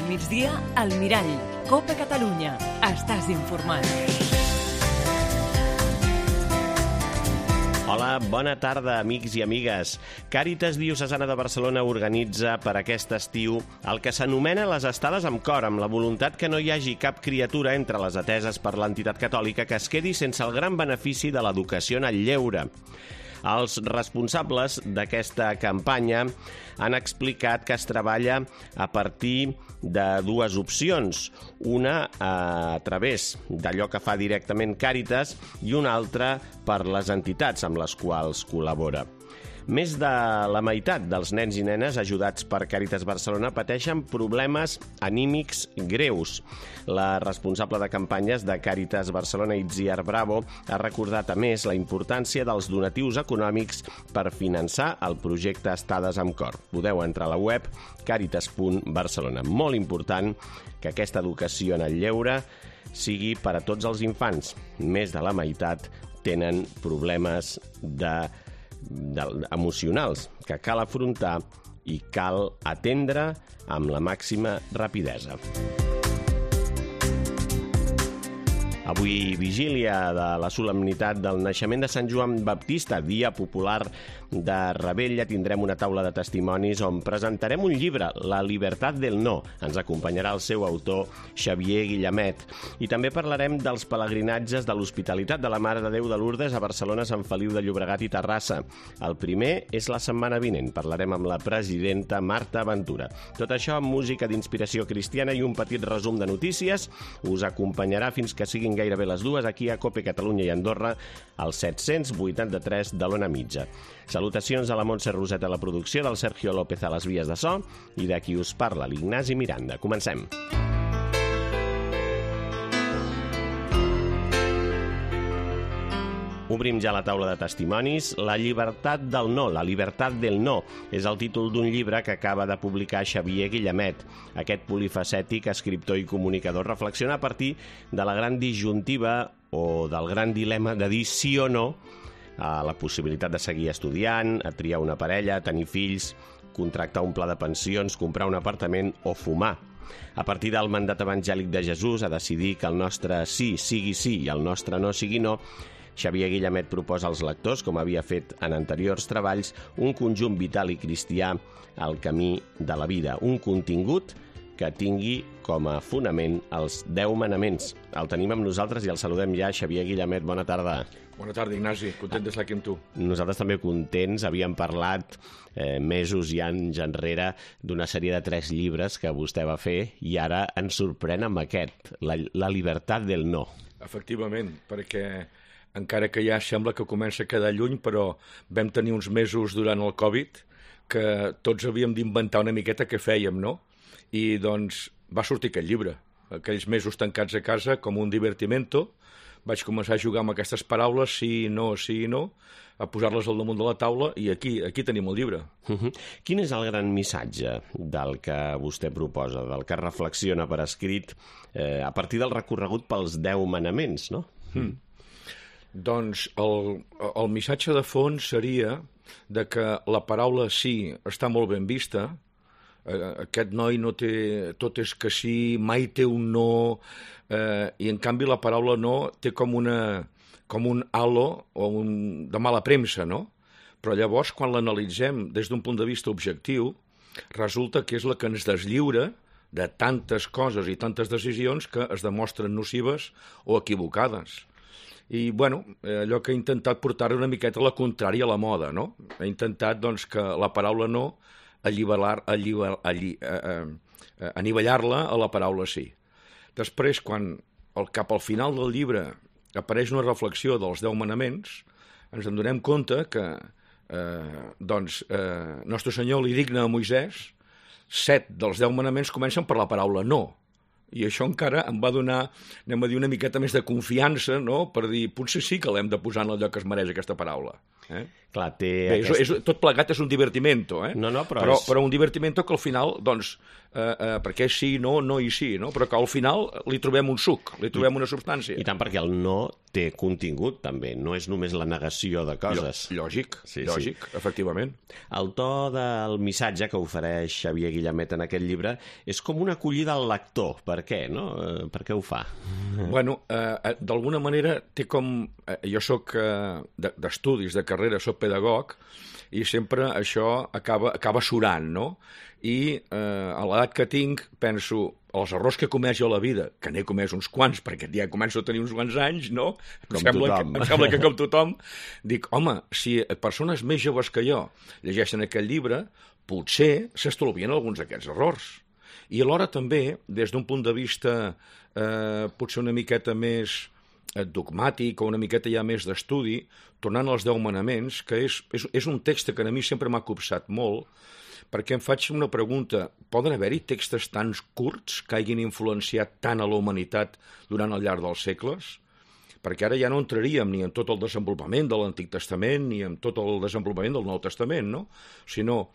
al migdia, al Mirall. Copa Catalunya. Estàs informat. Hola, bona tarda, amics i amigues. Càritas Diocesana de Barcelona organitza per aquest estiu el que s'anomena les estades amb cor, amb la voluntat que no hi hagi cap criatura entre les ateses per l'entitat catòlica que es quedi sense el gran benefici de l'educació en el lleure. Els responsables d'aquesta campanya han explicat que es treballa a partir de dues opcions. Una a través d'allò que fa directament Càritas i una altra per les entitats amb les quals col·labora. Més de la meitat dels nens i nenes ajudats per Càritas Barcelona pateixen problemes anímics greus. La responsable de campanyes de Càritas Barcelona, Itziar Bravo, ha recordat a més la importància dels donatius econòmics per finançar el projecte Estades amb Cor. Podeu entrar a la web caritas.barcelona. Molt important que aquesta educació en el lleure sigui per a tots els infants. Més de la meitat tenen problemes emocionals que cal afrontar i cal atendre amb la màxima rapidesa. Avui, vigília de la solemnitat del naixement de Sant Joan Baptista, dia popular de Rebella, tindrem una taula de testimonis on presentarem un llibre, La Libertad del No. Ens acompanyarà el seu autor, Xavier Guillamet. I també parlarem dels pelegrinatges de l'Hospitalitat de la Mare de Déu de Lourdes a Barcelona, Sant Feliu de Llobregat i Terrassa. El primer és la setmana vinent. Parlarem amb la presidenta Marta Ventura. Tot això amb música d'inspiració cristiana i un petit resum de notícies. Us acompanyarà fins que siguin gairebé les dues aquí a Copa Catalunya i Andorra, al 783 de l'Ona Mitja. Salutacions a la Montse Roset a la producció, del Sergio López a les vies de so i de qui us parla, l'Ignasi Miranda. Comencem. Obrim ja la taula de testimonis. La llibertat del no, la libertat del no, és el títol d'un llibre que acaba de publicar Xavier Guillamet. Aquest polifacètic, escriptor i comunicador, reflexiona a partir de la gran disjuntiva o del gran dilema de dir sí o no a la possibilitat de seguir estudiant, a triar una parella, a tenir fills, contractar un pla de pensions, comprar un apartament o fumar. A partir del mandat evangèlic de Jesús a decidir que el nostre sí sigui sí i el nostre no sigui no, Xavier Guillamet proposa als lectors, com havia fet en anteriors treballs, un conjunt vital i cristià al camí de la vida, un contingut que tingui com a fonament els 10 manaments. El tenim amb nosaltres i el saludem ja. Xavier Guillamet, bona tarda. Bona tarda, Ignasi. Content d'estar aquí amb tu. Nosaltres també contents. Havíem parlat mesos i anys enrere d'una sèrie de 3 llibres que vostè va fer i ara ens sorprèn amb aquest, La Libertad del No. Efectivament, perquè encara que ja sembla que comença a quedar lluny, però vam tenir uns mesos durant el Covid que tots havíem d'inventar una miqueta què fèiem, no? I doncs va sortir aquest llibre. Aquells mesos tancats a casa com un divertimento, vaig començar a jugar amb aquestes paraules, sí i no, a posar-les al damunt de la taula i aquí tenim el llibre. Quin és el gran missatge del que vostè proposa, del que reflexiona per escrit a partir del recorregut pels 10 manaments, no? Doncs el missatge de fons seria de que la paraula sí està molt ben vista. Aquest noi no té, tot és que sí, mai té un no, i en canvi la paraula no té com un halo o de mala premsa, no? Però llavors, quan l'analitzem des d'un punt de vista objectiu, resulta que és la que ens deslliura de tantes coses i tantes decisions que es demostren nocives o equivocades. I, bueno, allò que he intentat portar una miqueta a la contrària a la moda, no? He intentat, doncs, que la paraula no anivellar-la a la paraula sí. Després, quan cap al final del llibre apareix una reflexió dels 10 manaments, ens en donem compte que Nostre Senyor li digna a Moisès 7 dels 10 manaments comencen per la paraula no. I això encara em va donar, anem a dir, una miqueta més de confiança, no?, per dir, potser sí que l'hem de posar en el lloc que es mereix aquesta paraula. Clar, Bé, tot plegat és un divertimento, No, però un divertimento que al final, doncs, perquè és sí, no i sí, no? Però que al final li trobem un suc, li trobem una substància. I tant, perquè el no té contingut, també. No és només la negació de coses. Lògic, efectivament. El to del missatge que ofereix Xavier Guillamet en aquest llibre és com una acollida al lector. Per què, no? Per què ho fa? Bueno, d'alguna manera té com... Jo soc d'estudis, de carrera, soc pedagog, i sempre això acaba surant, no? I a l'edat que tinc penso, els errors que he comès jo a la vida, que n'he comès uns quants, perquè ja començo a tenir uns quants anys, no? Em sembla que com tothom, dic, home, si persones més joves que jo llegeixen aquest llibre, potser s'estalvien alguns d'aquests errors. I alhora també, des d'un punt de vista potser una miqueta més dogmàtic o una miqueta ja més d'estudi, tornant als 10 manaments, que és un text que a mi sempre m'ha copsat molt, perquè em faig una pregunta, poden haver-hi textos tan curts que hagin influenciat tant a la humanitat durant el llarg dels segles? Perquè ara ja no entraríem ni en tot el desenvolupament de l'Antic Testament ni en tot el desenvolupament del Nou Testament, no? Sinó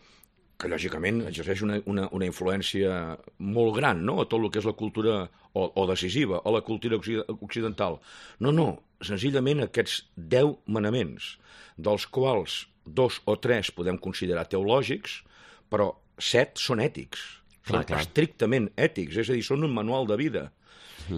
que lògicament exerceix una influència molt gran, no?, a tot el que és la cultura, o decisiva, a la cultura occidental. No, senzillament aquests 10 manaments, dels quals 2 o 3 podem considerar teològics, però 7 són ètics, són estrictament ètics, és a dir, són un manual de vida.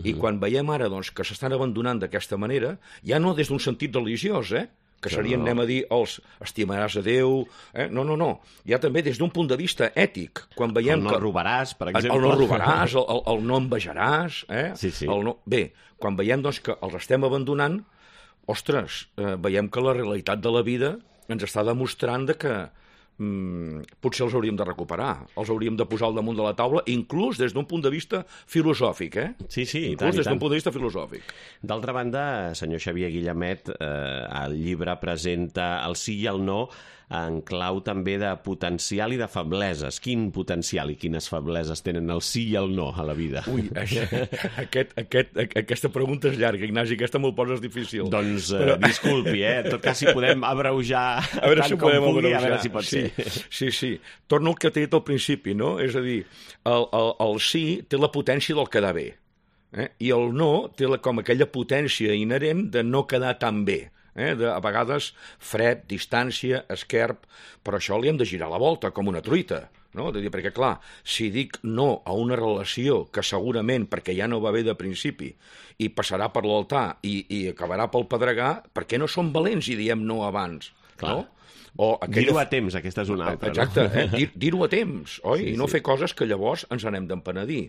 I quan veiem ara doncs, que s'estan abandonant d'aquesta manera, ja no des d'un sentit religiós, que serien, anem a dir, els estimaràs a Déu... No. Ja també des d'un punt de vista ètic. Quan veiem el no robaràs, per exemple. El no robaràs, el no envejaràs... Sí. Bé, quan veiem doncs, que els estem abandonant, ostres, veiem que la realitat de la vida ens està demostrant que potser els hauríem de recuperar, els hauríem de posar al damunt de la taula, inclús des d'un punt de vista filosòfic, Sí, i tant. Inclús des d'un punt de vista filosòfic. D'altra banda, senyor Xavier Guillamet, el llibre presenta el sí i el no en clau també de potencial i de febleses. Quin potencial i quines febleses tenen el sí i el no a la vida? Ui, aquesta pregunta és llarga, Ignasi, aquesta me'l poses difícil. Doncs disculpi, en tot cas si podem abreujar tant com pugui, a veure si pot ser. Sí. Torno al que t'he dit al principi, no? És a dir, el sí té la potència del quedar bé, i el no té com aquella potència inherent de no quedar tan bé. A vegades fred, distància, esquerp, però això li hem de girar la volta, com una truita, no? Perquè, clar, si dic no a una relació que segurament, perquè ja no va bé de principi, i passarà per l'altar i acabarà pel pedregar, per què no som valents i diem no abans? Clar. No? Dir-ho a temps, aquesta és una altra. Exacte, dir-ho a temps, oi? I no fer coses que llavors ens n'hem d'empenedir.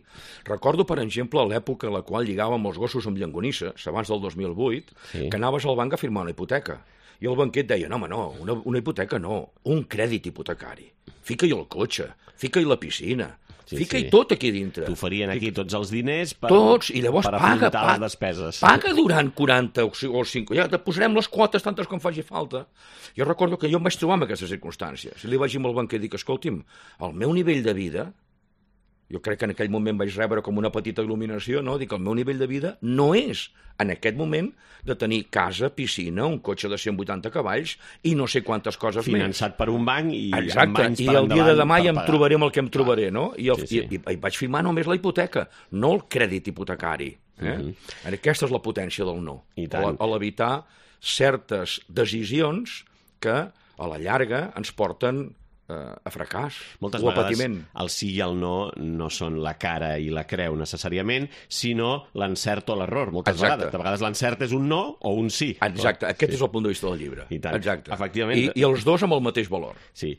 Recordo, per exemple, l'època en la qual lligàvem els gossos amb llangonisses, abans del 2008, que anaves al banc a firmar una hipoteca. I el banquer et deia, no, una hipoteca no, un crèdit hipotecari. Fica-hi el cotxe, fica-hi la piscina, fica-hi tot aquí dintre. T'oferien aquí tots els diners per afrontar les despeses. Paga durant 40 o 5, ja te posarem les quotes tantes com faci falta. Jo recordo que jo em vaig trobar en aquestes circumstàncies. I li vaig dir al banquer, dic, escolti'm, el meu nivell de vida, jo crec que en aquell moment vaig rebre com una petita il·luminació, no? Dic, el meu nivell de vida no és, en aquest moment, de tenir casa, piscina, un cotxe de 180 cavalls i no sé quantes coses finançat per un banc i amb anys per endavant. I el dia de demà ja em trobaré amb el que em trobaré, no? I vaig firmar només la hipoteca, no el crèdit hipotecari. Aquesta és la potència del no. A l'evitar certes decisions que, a la llarga, ens porten a fracàs o a patiment. Moltes vegades el sí i el no són la cara i la creu necessàriament, sinó l'encert o l'error. Moltes vegades. De vegades l'encert és un no o un sí. Exacte, aquest és el punt de vista del llibre. I tant. Exacte. Efectivament. I els dos amb el mateix valor. Sí.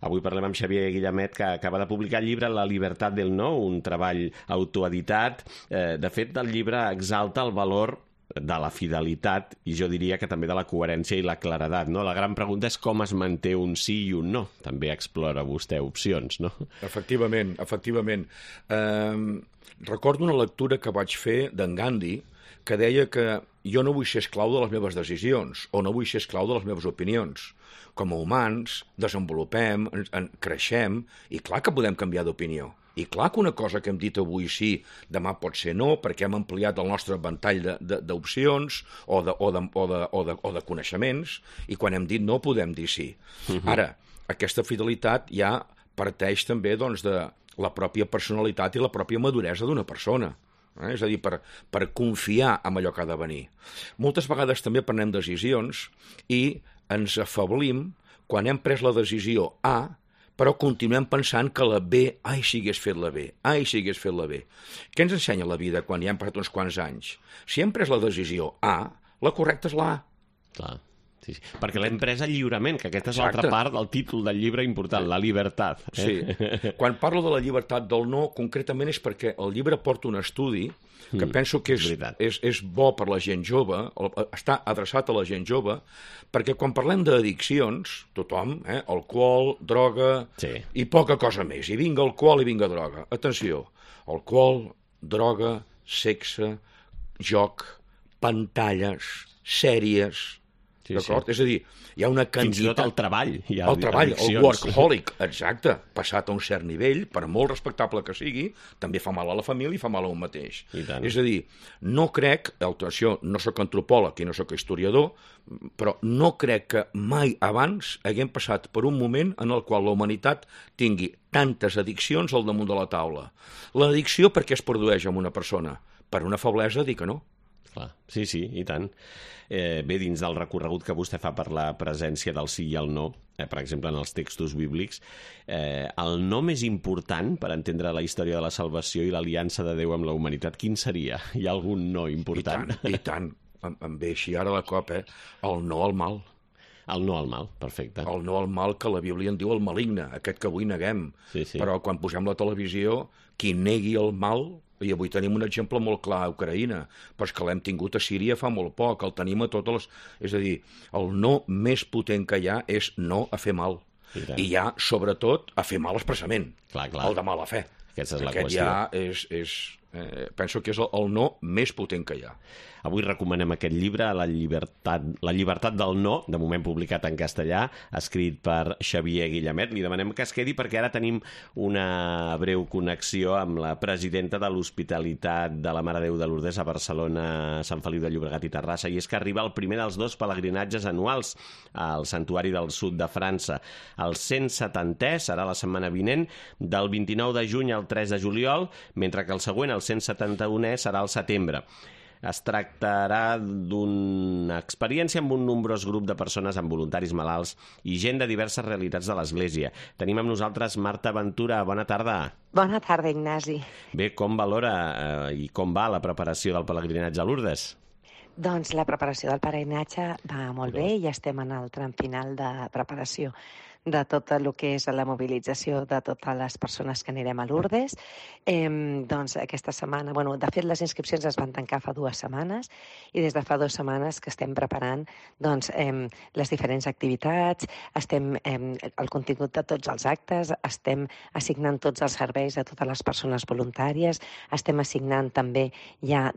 Avui parlem amb Xavier Guillamet, que acaba de publicar el llibre La libertat del no, un treball autoeditat. De fet, el llibre exalta el valor de la fidelitat i jo diria que també de la coherència i la claredat, no? La gran pregunta és com es manté un sí i un no. També explora vostè opcions, no? Efectivament. Recordo una lectura que vaig fer d'en Gandhi que deia que jo no vull ser esclau de les meves decisions o no vull ser esclau de les meves opinions. Com a humans, desenvolupem, creixem i clar que podem canviar d'opinió. I clar que una cosa que hem dit avui sí, demà pot ser no, perquè hem ampliat el nostre ventall d'opcions o de coneixements, i quan hem dit no podem dir sí. Ara, aquesta fidelitat ja parteix també doncs, de la pròpia personalitat i la pròpia maduresa d'una persona. És a dir, per confiar en allò que ha de venir. Moltes vegades també prenem decisions i ens afablim quan hem pres la decisió A, però continuem pensant que la B, ai, si hagués fet la B, ai, si hagués fet la B. Què ens ensenya la vida quan ja hem passat uns quants anys? Si hem pres la decisió A, la correcta és la A. Clar, sí. Perquè l'hem pres lliurement, que aquesta és l'altra part del títol del llibre important, la llibertat. Sí. Quan parlo de la llibertat del no, concretament és perquè el llibre porta un estudi que penso que és bo per la gent jove, està adreçat a la gent jove, perquè quan parlem d'addiccions, tothom, alcohol, droga, i poca cosa més, i vinga alcohol i vinga droga. Atenció, alcohol, droga, sexe, joc, pantalles, sèries, d'acord? És a dir, hi ha una quantitat... Fins i tot el treball. El treball, el workaholic, exacte, passat a un cert nivell, per molt respectable que sigui, també fa mal a la família i fa mal a un mateix. És a dir, no crec, això, no sóc antropòleg i no sóc historiador, però no crec que mai abans haguem passat per un moment en el qual la humanitat tingui tantes addiccions al damunt de la taula. L'addicció per què es produeix en una persona? Per una feblesa, dir que no. Clar. Sí, i tant. Bé, dins del recorregut que vostè fa per la presència del sí i el no, per exemple, en els textos bíblics, el no més important per entendre la història de la salvació i l'aliança de Déu amb la humanitat, quin seria? Hi ha algun no important? I tant. Em ve així ara de cop, el no al mal. El no al mal, perfecte. El no al mal, que la Bíblia en diu el maligne, aquest que avui neguem. Però quan posem la televisió, qui negui el mal... I avui tenim un exemple molt clar a Ucraïna, però és que l'hem tingut a Síria fa molt poc, el tenim a totes les... És a dir, el no més potent que hi ha és no a fer mal. I hi ha, sobretot, a fer mal expressament. El de mala fe. Aquesta és la qüestió. Aquest ja penso que és el no més potent que hi ha. Avui recomanem aquest llibre, La llibertat del no, de moment publicat en castellà, escrit per Xavier Guillemet. Li demanem que es quedi perquè ara tenim una breu connexió amb la presidenta de l'Hospitalitat de la Mare de Déu de Lourdes a Barcelona, Sant Feliu de Llobregat i Terrassa, i és que arriba el primer dels 2 pelegrinatges anuals al Santuari del Sud de França. El 170è serà la setmana vinent, del 29 de juny al 3 de juliol, mentre que el següent, el 171è, serà al setembre. Es tractarà d'una experiència amb un nombrós grup de persones amb voluntaris malalts i gent de diverses realitats de l'Església. Tenim amb nosaltres Marta Ventura. Bona tarda. Bona tarda, Ignasi. Bé, com valora i com va la preparació del pelegrinatge a Lourdes? Doncs la preparació del pelegrinatge va molt bé i estem en el tram final de preparació de tot el que és la mobilització de totes les persones que anirem a Lourdes. Doncs aquesta setmana, de fet les inscripcions es van tancar fa 2 setmanes i des de fa 2 setmanes que estem preparant les diferents activitats, el contingut de tots els actes, estem assignant tots els serveis a totes les persones voluntàries, estem assignant també ja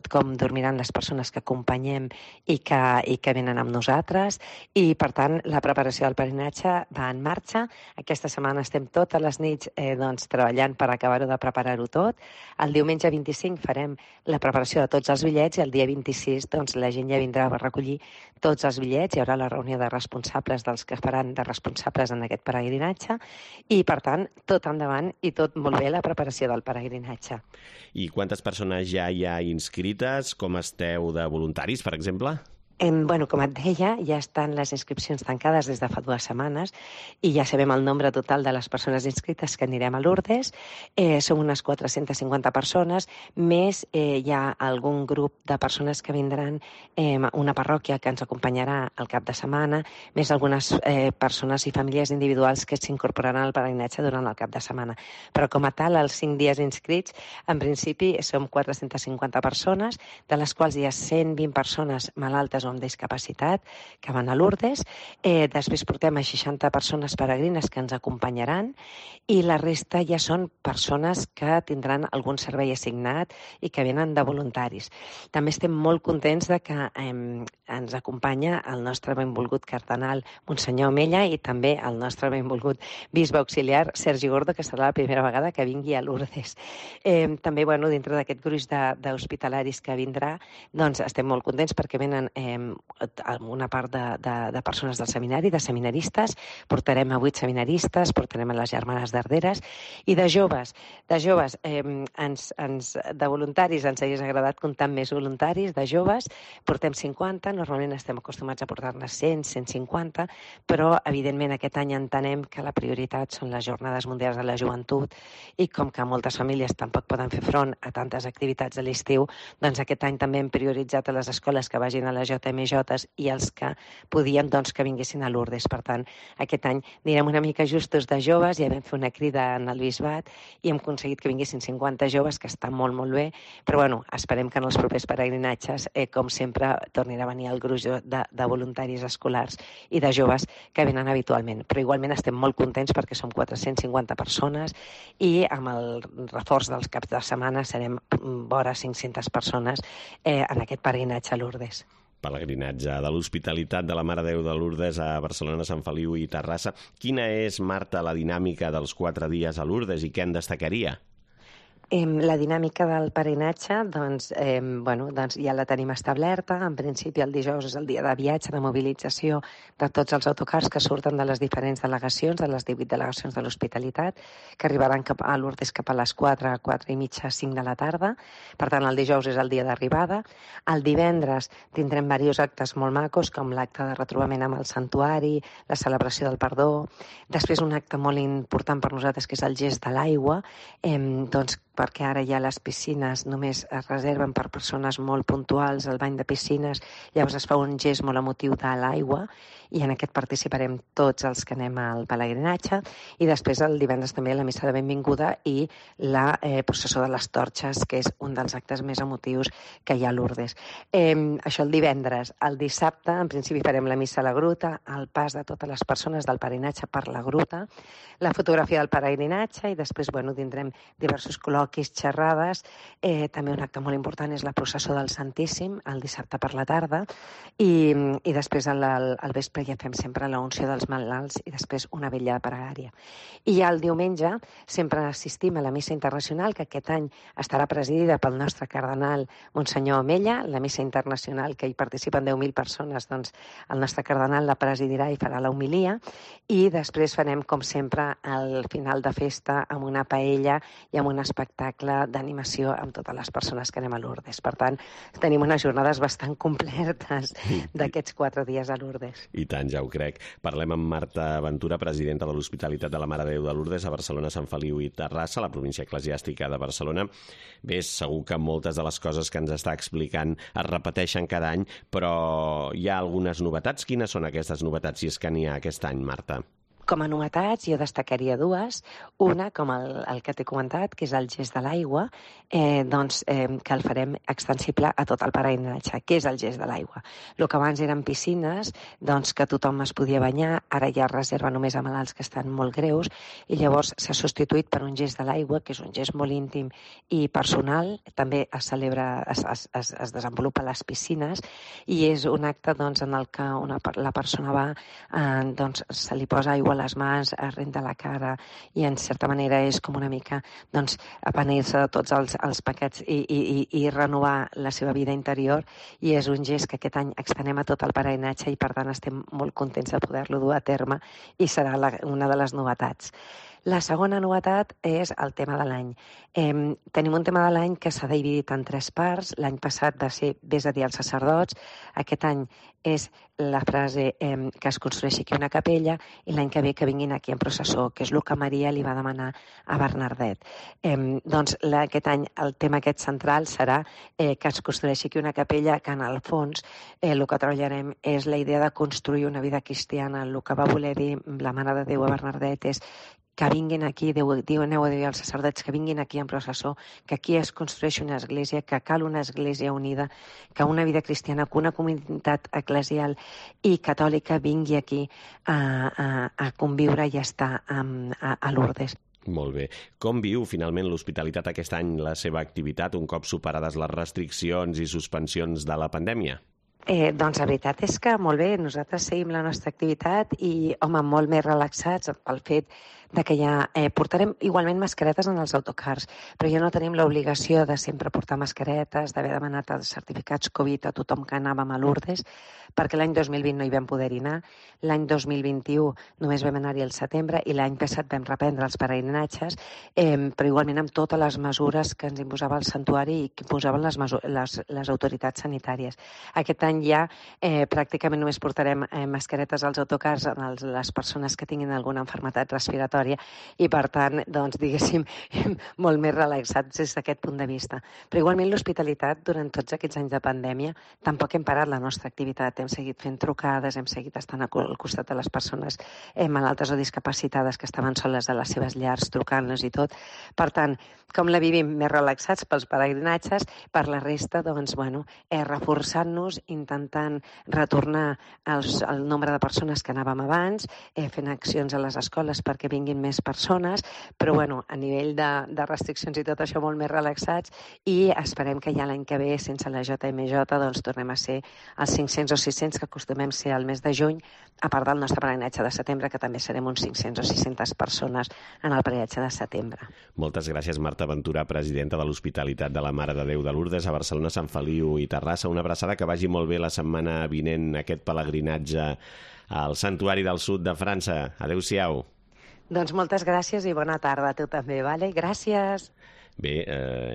com dormiran les persones que acompanyem i que venen amb nosaltres, i per tant la preparació del pelegrinatge va en marxa. Aquesta setmana estem totes les nits treballant per acabar-ho de preparar-ho tot. El diumenge 25 farem la preparació de tots els bitllets i el dia 26 la gent ja vindrà a recollir tots els bitllets. Hi haurà la reunió de responsables dels que faran de responsables en aquest pelegrinatge i, per tant, tot endavant i tot molt bé la preparació del pelegrinatge. I quantes persones ja hi ha inscrites? Com esteu de voluntaris, per exemple? Com et deia, ja estan les inscripcions tancades des de fa 2 setmanes i ja sabem el nombre total de les persones inscrites que anirem a Lourdes. Som unes 450 persones, més hi ha algun grup de persones que vindran, una parròquia que ens acompanyarà al cap de setmana, més algunes persones i famílies individuals que s'incorporaran al pelegrinatge durant el cap de setmana. Però com a tal, els 5 dies inscrits, en principi som 450 persones, de les quals hi ha 120 persones malaltes o amb discapacitat que van a Lourdes. Després portem a 60 persones peregrines que ens acompanyaran i la resta ja són persones que tindran algun servei assignat i que venen de voluntaris. També estem molt contents de que ens acompanya el nostre benvolgut cardenal Monsenyor Omella i també el nostre benvolgut bisbe auxiliar Sergi Gordo, que serà la primera vegada que vingui a Lourdes. També, dintre d'aquest gruix d'hospitalaris que vindrà, doncs estem molt contents perquè venen una part de persones del seminari, de seminaristes, portarem a 8 seminaristes, portarem a les germanes d'Arderes, i de joves, de voluntaris, ens hagués agradat comptar amb més voluntaris, de joves, portem 50, normalment estem acostumats a portar-ne 100, 150, però evidentment aquest any entenem que la prioritat són les Jornades Mundials de la Joventut i com que moltes famílies tampoc poden fer front a tantes activitats de l'estiu, doncs aquest any també hem prioritzat a les escoles que vagin a les JMJs i els que podien que vinguessin a Lourdes. Per tant, aquest any anirem una mica justos de joves, ja vam fer una crida en el bisbat i hem aconseguit que vinguessin 50 joves, que està molt, molt bé, però esperem que en els propers peregrinatges, com sempre, tornin a venir el gruix de voluntaris escolars i de joves que venen habitualment. Però igualment estem molt contents perquè som 450 persones i amb el reforç dels caps de setmana serem vora 500 persones en aquest peregrinatge a Lourdes. Pelegrinatge de l'Hospitalitat de la Mare de Déu de Lourdes a Barcelona, Sant Feliu i Terrassa. Quina és, Marta, la dinàmica dels 4 dies a Lourdes i què en destacaria? La dinàmica del peregrinatge, ja la tenim establerta. En principi, el dijous és el dia de viatge, de mobilització de tots els autocars que surten de les diferents delegacions, de les 18 delegacions de l'Hospitalitat, que arribaran a Lourdes cap a les 4, 4 i mitja, 5 de la tarda. Per tant, el dijous és el dia d'arribada. El divendres tindrem diversos actes molt macos, com l'acte de retrobament amb el santuari, la celebració del perdó. Després, un acte molt important per nosaltres, que és el gest de l'aigua, perquè ara ja les piscines només es reserven per persones molt puntuals, el bany de piscines, llavors es fa un gest molt emotiu de l'aigua i en aquest participarem tots els que anem al pelegrinatge i després el divendres també la missa de benvinguda i la processó de les torxes, que és un dels actes més emotius que hi ha a Lourdes. Això el divendres. El dissabte, en principi, farem la missa a la gruta, el pas de totes les persones del peregrinatge per la gruta, la fotografia del peregrinatge i després tindrem diversos col·loquis, xerrades. També un acte molt important és la processó del Santíssim, el dissabte per la tarda, i després al vespre ja fem sempre la unció dels malalts i després una vetlla de pregària. I ja el diumenge sempre assistim a la missa internacional, que aquest any estarà presidida pel nostre cardenal Monsenyor Omella, la missa internacional que hi participen 10.000 persones, doncs el nostre cardenal la presidirà i farà la homilia, i després farem, com sempre, al final de festa amb una paella i amb un espectacle d'animació amb totes les persones que anem a Lourdes. Per tant, tenim unes jornades bastant completes d'aquests 4 dies a Lourdes. I tant, ja ho crec. Parlem amb Marta Ventura, presidenta de l'Hospitalitat de la Mare de Déu de Lourdes a Barcelona, Sant Feliu i Terrassa, la província eclesiàstica de Barcelona. Bé, segur que moltes de les coses que ens està explicant es repeteixen cada any, però hi ha algunes novetats. Quines són aquestes novetats, si és que n'hi ha aquest any, Marta? Com a novetats, jo destacaria 2. Una, com el que t'he comentat, que és el gest de l'aigua, que el farem extensible a tot el peregrinatge. Què és el gest de l'aigua? El que abans eren piscines, que tothom es podia banyar, ara ja es reserva només a malalts que estan molt greus, i llavors s'ha substituït per un gest de l'aigua, que és un gest molt íntim i personal. També es celebra, es desenvolupa a les piscines, i és un acte en el que la persona va, se li posa aigua a les mans, es renta la cara i en certa manera és com una mica apenir-se de tots els pecats i renovar la seva vida interior, i és un gest que aquest any extenem a tot el peregrinatge i per tant estem molt contents de poder-lo dur a terme i serà una de les novetats. La segona novetat és el tema de l'any. Tenim un tema de l'any que s'ha dividit en 3 parts. L'any passat va ser Vés a dir als sacerdots. Aquest any és la frase que es construeixi aquí una capella, i l'any que ve que vinguin aquí en processó, que és el que Maria li va demanar a Bernardet. Aquest any el tema aquest central serà que es construeixi aquí una capella, que en el fons el que treballarem és la idea de construir una vida cristiana. El que va voler dir la Mare de Déu a Bernardet és que vinguin aquí, aneu a dir als sacerdots que vinguin aquí en processó, que aquí es construeix una església, que cal una església unida, que una vida cristiana, que una comunitat eclesial i catòlica vingui aquí a conviure i a estar a Lourdes. Molt bé. Com viu finalment l'Hospitalitat aquest any la seva activitat un cop superades les restriccions i suspensions de la pandèmia? Doncs la veritat és que molt bé, nosaltres seguim la nostra activitat i, home, molt més relaxats pel fet de que ja portarem igualment mascaretes en els autocars, però ja no tenim l'obligació de sempre portar mascaretes, d'haver demanat els certificats Covid a tothom que anàvem a Lourdes, perquè l'any 2020 no hi vam poder anar, l'any 2021 només vam anar-hi al setembre i l'any passat vam reprendre els peregrinatges, però igualment amb totes les mesures que ens imposava el santuari i que imposaven les autoritats sanitàries. Aquest any ja pràcticament només portarem mascaretes als autocars a les persones que tinguin alguna malaltia respiratòria i, per tant, doncs, diguéssim, molt més relaxats des d'aquest punt de vista. Però igualment l'hospitalitat, durant tots aquests anys de pandèmia, tampoc hem parat la nostra activitat. Hem seguit fent trucades, hem seguit estant al costat de les persones malaltes o discapacitades que estaven soles a les seves llars, trucant-los i tot. Per tant, com la vivim més relaxats pels peregrinatges, per la resta, doncs, bueno, reforçant-nos, intentant retornar el nombre de persones que anàvem abans, fent accions a les escoles perquè vinguin més persones, però bueno, a nivell de restriccions i tot això molt més relaxats, i esperem que ja l'any que ve, sense la JMJ, doncs tornem a ser els 500 o 600 que acostumem ser al mes de juny, a part del nostre peregrinatge de setembre, que també serem uns 500 o 600 persones en el peregrinatge de setembre. Moltes gràcies, Marta Ventura, presidenta de l'Hospitalitat de la Mare de Déu de Lourdes a Barcelona, Sant Feliu i Terrassa. Una abraçada, que vagi molt bé la setmana vinent aquest pelegrinatge al Santuari del Sud de França. Adéu-siau. Doncs moltes gràcies i bona tarda a tu també, vale? Gràcies. Bé,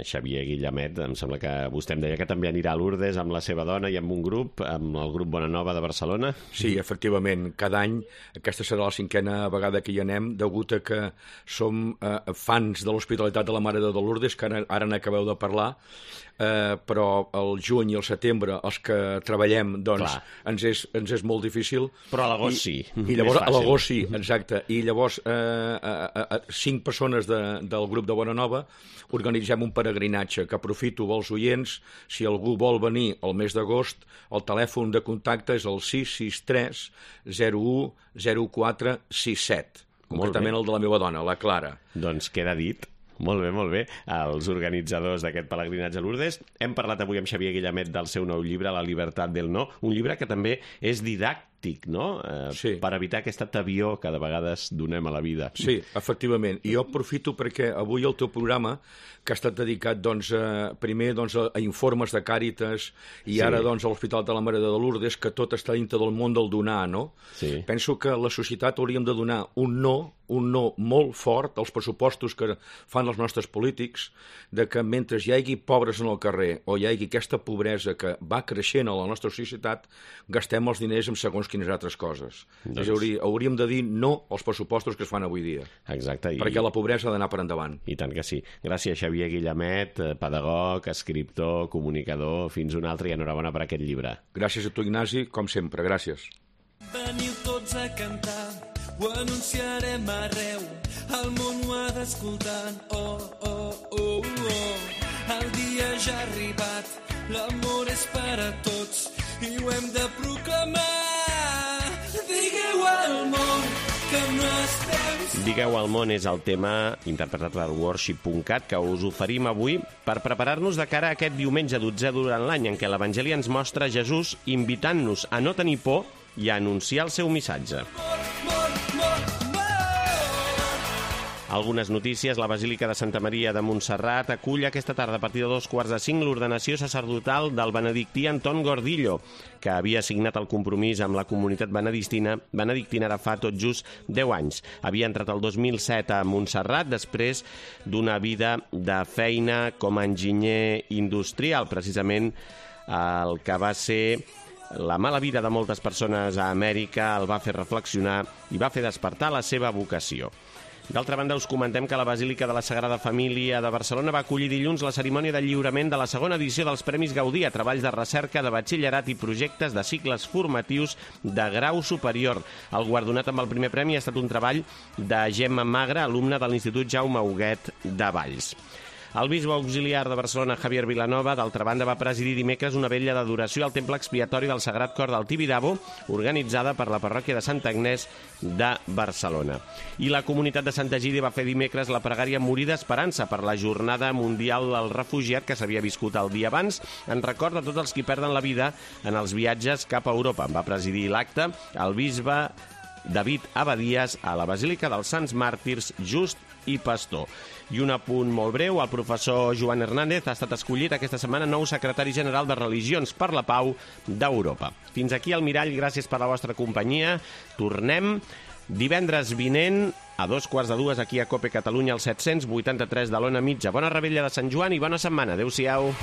Xavier Guillamet, em sembla que vostè em deia que també anirà a Lourdes amb la seva dona i amb un grup, amb el grup Bona Nova de Barcelona. Sí, efectivament. Cada any, aquesta serà la 5a vegada que hi anem, degut a que som fans de l'Hospitalitat de la Mare de Déu de Lourdes, que ara n'acabeu de parlar, però el juny i el setembre, els que treballem, doncs, ens és molt difícil. Però a l'agost sí. I llavors, a l'agost sí, exacte. I llavors, 5 persones del grup de Bona Nova organitzem un peregrinatge, que aprofito els oients, si algú vol venir al mes d'agost, el telèfon de contacte és el 663 01 0467, concretament el de la meva dona, la Clara. Doncs queda dit. Molt bé, molt bé. Els organitzadors d'aquest pelegrinatge a Lourdes. Hem parlat avui amb Xavier Guillamet del seu nou llibre, La libertat del no, un llibre que també és didàctic, no? Sí. Per evitar aquest atavió que de vegades donem a la vida. Sí, efectivament. I jo aprofito perquè avui el teu programa, que ha estat dedicat primer a informes de Càritas i ara a l'Hospital de la Mare de Déu de Lourdes, que tot està dintre del món del donar, no? Sí. Penso que la societat hauríem de donar un no molt fort als pressupostos que fan els nostres polítics, de que mentre hi hagi pobres en el carrer o hi hagi aquesta pobresa que va creixent a la nostra societat, gastem els diners en segons quines altres coses. Doncs... hauríem de dir no als pressupostos que es fan avui dia. Exacte. Perquè la pobresa ha d'anar per endavant. I tant que sí. Gràcies, Xavier Guillamet, pedagog, escriptor, comunicador. Fins un altre i enhorabona per aquest llibre. Gràcies a tu, Ignasi, com sempre. Gràcies. Veniu tots a cantar, ho anunciarem arreu, el món ho ha d'escoltar. Oh, oh, oh, oh. El dia ja ha arribat, l'amor és per a tots i ho hem de proclamar. Digueu al món que no estem... Digueu al món és el tema interpretat per Worship.cat que us oferim avui per preparar-nos de cara a aquest diumenge 12 durant l'any en què l'Evangeli ens mostra Jesús invitant-nos a no tenir por i a anunciar el seu missatge. Algunes notícies. La Basílica de Santa Maria de Montserrat acull aquesta tarda a partir de 4:45 l'ordenació sacerdotal del benedictí Anton Gordillo, que havia signat el compromís amb la comunitat benedictina ara fa tot just 10 anys. Havia entrat el 2007 a Montserrat després d'una vida de feina com a enginyer industrial, precisament el que va ser la mala vida de moltes persones a Amèrica el va fer reflexionar i va fer despertar la seva vocació. D'altra banda, us comentem que la Basílica de la Sagrada Família de Barcelona va acollir dilluns la cerimònia de lliurament de la segona edició dels Premis Gaudí a treballs de recerca, de batxillerat i projectes de cicles formatius de grau superior. El guardonat amb el primer premi ha estat un treball de Gemma Magre, alumna de l'Institut Jaume Huguet de Valls. El bisbe auxiliar de Barcelona, Javier Vilanova, d'altra banda, va presidir dimecres una vetlla d'adoració al temple expiatori del Sagrat Cor del Tibidabo, organitzada per la parròquia de Santa Agnès de Barcelona. I la comunitat de Santa Egídia va fer dimecres la pregària Morir d'Esperança per la Jornada Mundial del Refugiat que s'havia viscut el dia abans, en record de tots els qui perden la vida en els viatges cap a Europa. Va presidir l'acte el bisbe David Abadies a la Basílica dels Sants Màrtirs Just i Pastor. I un apunt molt breu, el professor Joan Hernández ha estat escollit aquesta setmana nou secretari general de Religions per la Pau d'Europa. Fins aquí el Mirall, gràcies per la vostra companyia. Tornem divendres vinent a 2:15 aquí a COPE Catalunya al 783 de l'Ona Mitja. Bona rebella de Sant Joan i bona setmana. Adéu-siau.